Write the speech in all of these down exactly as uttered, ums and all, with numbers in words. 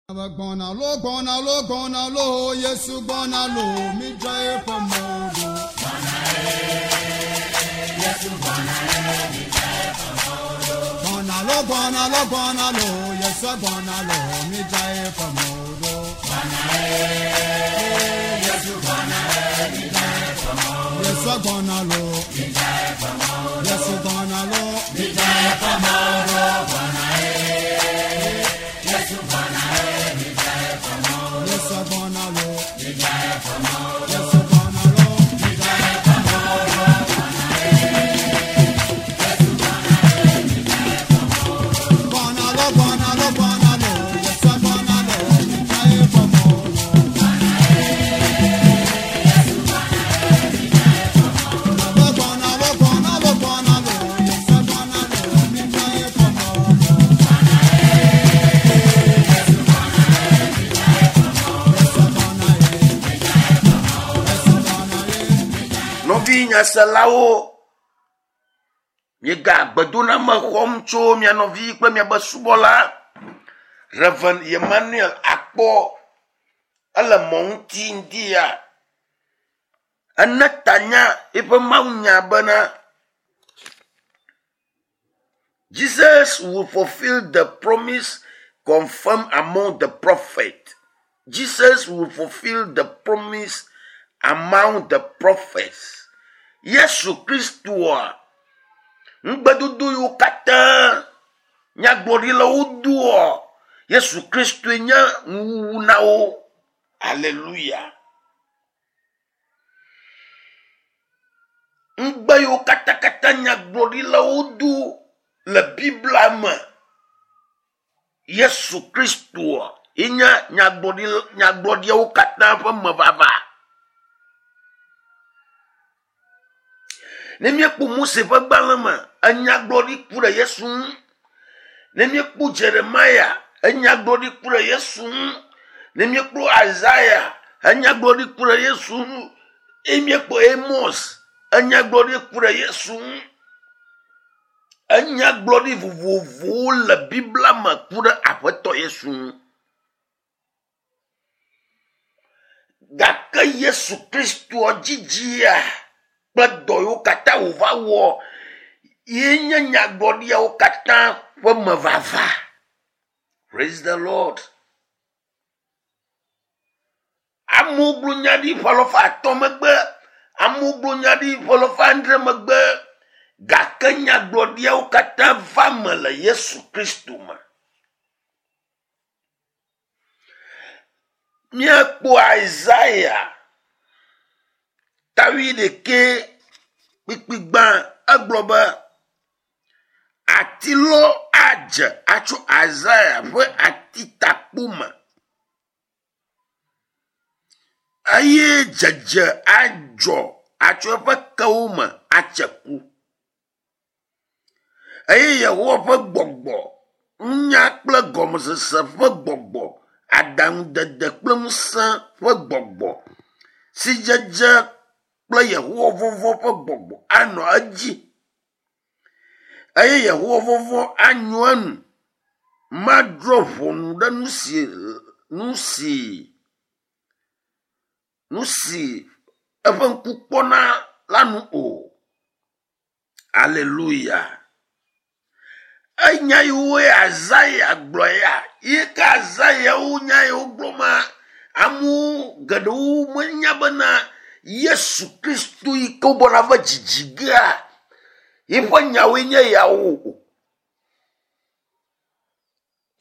Gbɔna lo gbɔna lo gbɔna lo Yesu gbɔna lo mi dza eƒe mɔ ɖo. Gbɔna lo gbɔna lo gbɔna lo Yesu gbɔna lo mi dza eƒe mɔ ɖo. Yesu gbɔna lo Yesu gbɔna lo mi dza eƒe mɔ ɖo. Yesu gbɔna lo Yesu gbɔna lo mi dza eƒe mɔ ɖo. Gbɔna lo gbɔna lo gbɔna lo Yesu gbɔna lo mi dza eƒe mɔ ɖo. Gbɔna lo gbɔna lo gbɔna lo Yesu gbɔna lo mi dza eƒe mɔ ɖo. Yesu gbɔna ye Yesu gbɔna ye. Nɔvi nyaselawo, miega gbedoname xɔm tso mia nɔvi kple miabe subɔla Reverend Emmanuel Akpɔ ele mɔ ŋuti ŋdi ya. Ene tanya eƒe mawunya bena Jesus will fulfill the promise confirmed among the prophet. Jesus will fulfill the promise among the prophets. Yesu Kristoa ŋugbedodo yiwo katã nyagblɔɖilawo doa Yesu Kristoe nye nuwuwu na wo. Aleluya. Ŋugbe yiwo katãkatã nyagblɔɖilawo do le Biblia me Yesu Kristoa ye nye nyagblɔɖi nyagblɔɖiawo katã ƒe mevava. Ne míekpɔ Mose ƒe gbalẽ me, enyagblɔɖi ku ɖe Yesu ŋu. Ne míekpɔ Jeremia, enyagblɔɖi ku ɖe Yesu ŋu. Ne míekpɔ Isaiah, enyagblɔɖi ku ɖe Yesu ŋu. Eye míekpɔ Amos, enyagblɔɖi ku ɖe Yesu ŋu. Enyagblɔɖi vovovowo le Biblia me ku ɖe Aƒetɔ Yesu ŋu. Gake Yesu Kristoa dzidzia kple dɔ yiwo katã wòva wɔ ye nye nyagblɔɖiawo katã ƒe mevava. Praise the Lord. Amewo gblɔ nya ɖi ƒe alafa atɔ̃ megbe, amewo gblɔ nya ɖi ƒe alafa adre megbe gake nyagblɔɖiawo katã va me le Yesu Kristo me. Míekpɔ Isaiah ta wuiɖekɛ kpukpui gbã egblɔ be atilɔ adze atso Isaiah ƒe atitakpo me eye dzedze adzɔ atso eƒe kewo me atse ku. Eye Yehowa ƒe gbɔgbɔ, nunya kple gɔmesese ƒe gbɔgbɔ, aɖaŋudede kple ŋusẽ ƒe gbɔgbɔ, sidzedze kple Yehowa vɔvɔ̃ ƒe gbɔgbɔ anɔ edzi. Eye Yehowa vɔvɔ̃ anyo enu. Madrɔ̃ ʋɔnu ɖe nu si nu si nu si eƒe ŋku kpɔna la nu o. Aleluya. Enya yiwoe Isaiah gblɔ ya ye ke Isaiah wo nya yiwo gblɔ ma amewo geɖewo menya bena Yesu Kristo yi ke wogbɔna va dzidzi gea yiƒe nyawoe nye yawo o.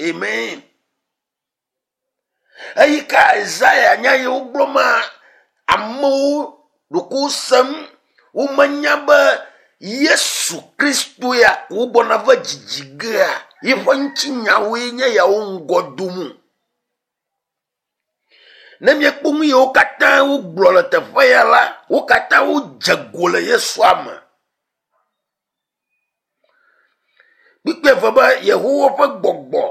Amen. Eyi ke Isaiah nya yiwo gblɔ ma amewo ɖoko sem womenya be Yesu Kristo ya wogbɔna va dzidzi gea yiƒe ŋutinyawoe nye yawo ŋgɔ dom. Ne míekpɔ nu yiwo katã wogblɔ le teƒe ya la, wo katã wodze go le Yesua me. Kpukpui eve be Yehowa ƒe gbɔgbɔ,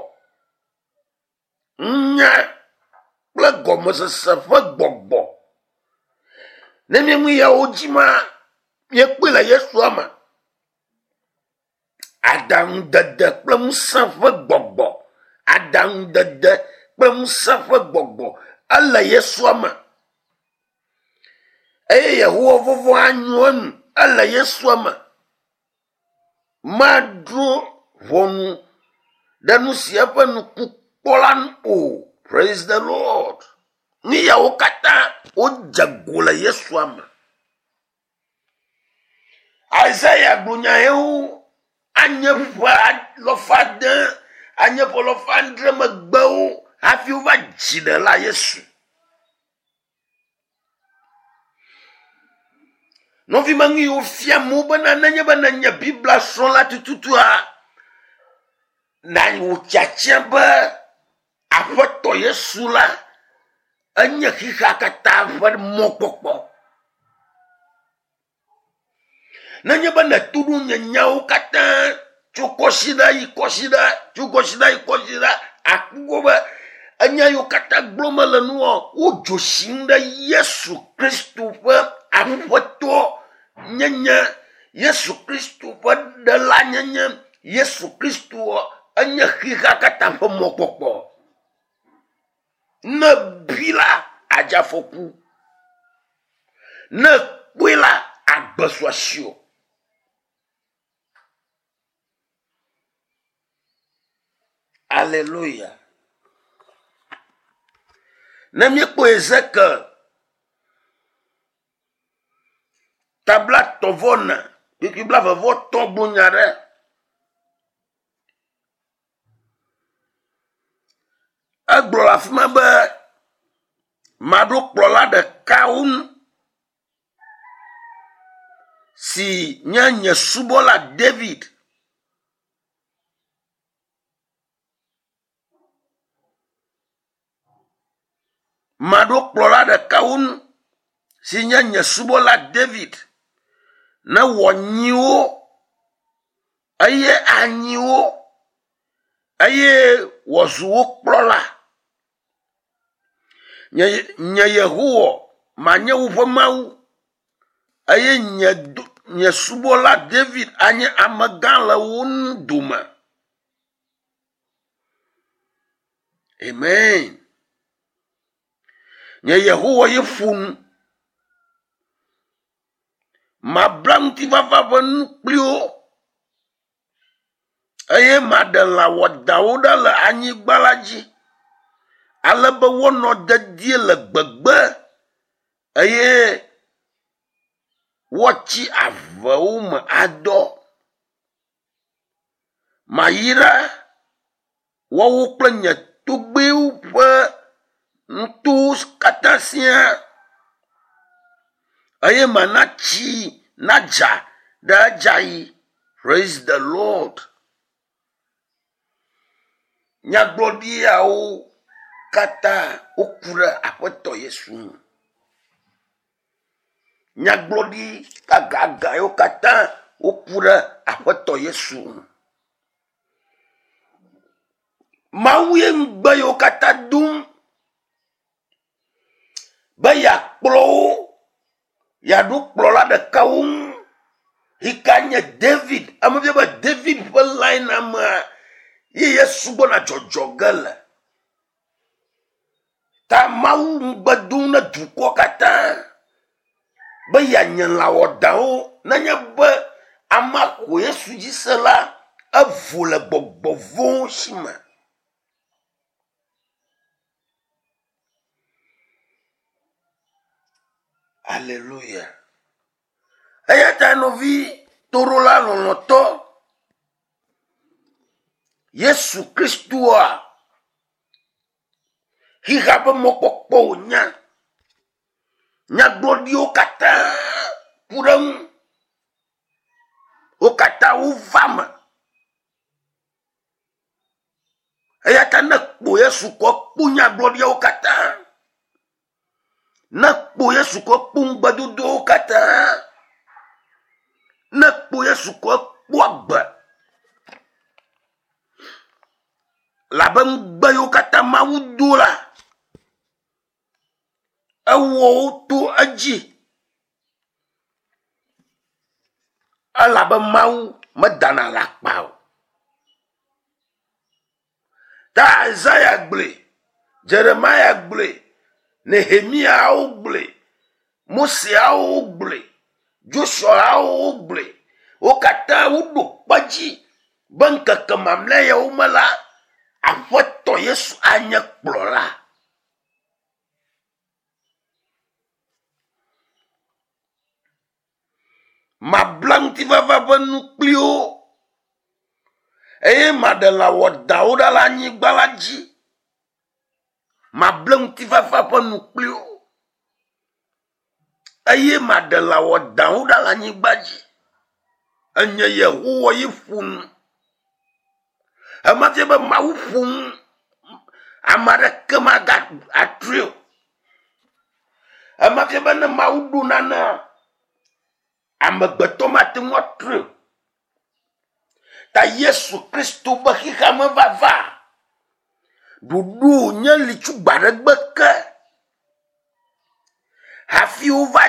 nunya kple gɔmesese ƒe gbɔgbɔ. Ne míenu yawo dzi ma, míekpɔe le Yesua me. Aɖaŋudede kple ŋusẽ ƒe gbɔgbɔ, aɖaŋudede kple ŋusẽ ƒe gbɔgbɔ ele Yesua me. Eye Yehowa vɔvɔ̃ anyo enu ele Yesua me. Madro ʋɔnu ɖe nu si eƒe ŋku kpɔ la nu o. Praise the Lord. Nu yawo katã wodze go le Yesua me. Isaiah gblɔ nya yewo anye ƒe alafa ade, anye ƒe alafa adre megbewo hafi wova dzi ɖela Yesu. Nɔvi me nu yiwo fia amewo bena nenye be nenye Biblia srɔ̃la tututua, na wò tiatia be Aƒetɔ Yesu la enye xexea katã ƒe mɔkpɔkpɔ. Nenye be nèto ɖo nye nyawo katã tso kɔsiɖa yi kɔsiɖa, tso kɔsiɖa yi kɔsiɖa, akpɔ be enya yiwo katã gblɔm mele nua, wodzo sim ɖe Yesu Kristo ƒe Aƒetɔ nyenye, Yesu Kristo ƒe ɖela nyenye, Yesu Kristo enye xexea katã ƒe mɔkpɔkpɔ. Ne bi la, adze afɔku. Ne kpɔe la, agbe su asiwò. Alléluia. Ne míekpɔ Ezekiel tabla tɔvɔ ne kpikpi blavevɔ tɔ gblɔ nya ɖe. Egblɔ le afi ma be maɖo kplɔla ɖekawo ŋu si nye nye subɔla David. Maɖo kplɔla ɖekawo ŋu si nye nye subɔla David ne wòanyi wo eye anyi wo eye wòazu wo kplɔla. Nye, nye Yehowa manye woƒe Mawu eye nye, nye subɔla David anye amegã le wo nu dome. Amen. Nye Yehowa ye ƒo nu. Mabla ŋutifafa ƒe nu kpli wo eye maɖe lã wɔdawo ɖa le anyigba la dzi ale be woanɔ dedie le gbegbe eye woatsi avewo me adɔ. Mayra woawo kple nye togbɛwo ƒe nutowo katã siaa eye mana tsi nadza ɖe edzaɣi. Praise the Lord. Nyagblɔɖiawo katã woku ɖe Aƒetɔ Yesu ŋu. Nyagblɔɖi gãgãgã yiwo katã woku ɖe Aƒetɔ Yesu ŋu. Mawu ye ŋugbe yiwo katã dom be yeakplɔ wo, yeaɖo kplɔla ɖekawo ŋu yi ka nye David. Ame fia be David ƒe line amea ye Yesu gbɔna dzɔdzɔ ge le. Ta Mawu ŋugbe dom ne dukɔ katã be yeanye lã wɔdawo nenye be amea xɔ Yesu dzi se la, evo le gbɔgbɔ vɔ̃wo si me. Alléluia. Eya ta nɔvi toɖola lɔlɔ̃tɔ, Yesu Kristoa xexea ƒe mɔkpɔkpɔ wònye. Nyagblɔɖiwo katã ku ɖe eŋu. Wo katã wova me. Eya ta ne kpo Yesu kɔ kpo nyagblɔɖiawo katã, ne kpo Yesu kɔ kpo ŋugbedodowo katã, ne kpo Yesu kɔ kpo agbe, labe ŋugbe yiwo katã Mawu do la, ewɔ wo to edzi. Elabe Mawu medana le akpa o. Ta Isaiah gblɔe Jeremia gblɔe, Nehemiawo gblɔe, Moseawo gblɔe, Josuawo gblɔe. Wo katã woɖo kpe dzi be ŋkeke mamlɛ yawo me la, Aƒetɔ Yesu anye kplɔla. Mabla ŋutifafa ƒe nu kpli wo eye maɖe lã wɔdawo ɖa le anyigba la dzi. Mable ŋutifafa ƒe nu kpli wo eye maɖe lã wɔdawo ɖa le anyigba dzi. Enye Yehowa ye ƒo nu. Ema fia be Mawu ƒo nu, ame aɖeke maga atrɔe o. Ema fia be ne Mawu ɖo nanea, amegbetɔ mate ŋu atrɔe o. Ta Yesu Kristo be xexeame vava ɖoɖo nye li tso gbe aɖe gbe ke hafi wova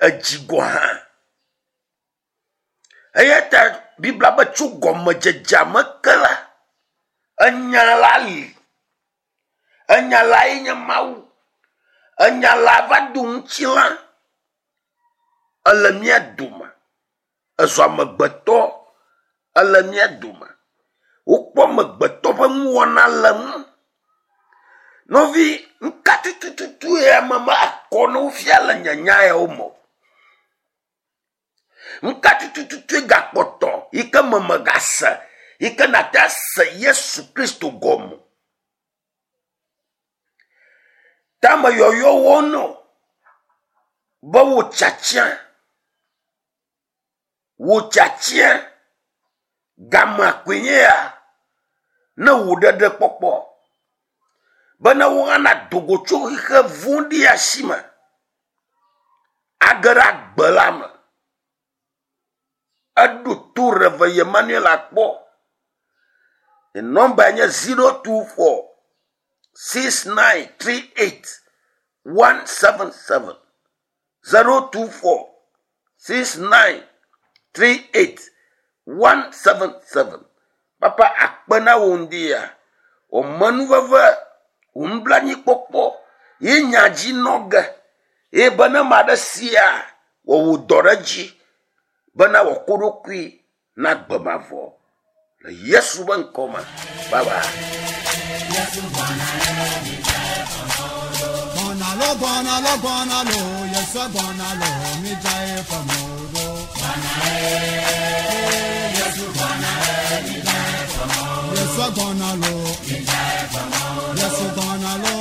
edzi gɔ hã. Eya ta Biblia be tso gɔmedzedzea me ke la, enya la li. Enya lae nye Mawu. Enya la va do ŋutilã ele mía dome. Ezu amegbetɔ ele mía dome. Wokpɔ amegbetɔ ƒe nuwɔna le ŋu. Nɔvi, nuka tututu ye ame ma akɔ ne wofia le nye nya yawo me o? Nuka tututu gakpɔtɔ yi ke me megase yi ke nate ase Yesu Kristo gɔme o? Tame yɔyɔwo no be wo tsatsia, wo tsatsia gamea koe nye ya ne wò ɖeɖe kpɔkpɔ bene wo hã nado go tso xixe vɔ̃ɖi si me age ɖe agbe la me. Eɖo to Rev. Emmanuel akpɔ. Nɔmba nye zero two four six nine three eight one seven seven zero two four six nine three eight one seven seven. Papa akpe na wo ŋdi ya. Wò menuveve, wò nublanuikpɔkpɔ ye nya dzi nɔ ge eye be ne ame aɖe sia wɔ wò dɔ ɖe edzi bena wòako ɖokui na gbe mavɔ. Le Yesu ƒe ŋkɔ me. Bye bye. Gbɔna lo, gbɔna lo, gbɔna lo, Yesu gbɔna lo, mi dza eƒe mɔ ɖo. Yesu gbɔna lo, Yesu gbɔna lo,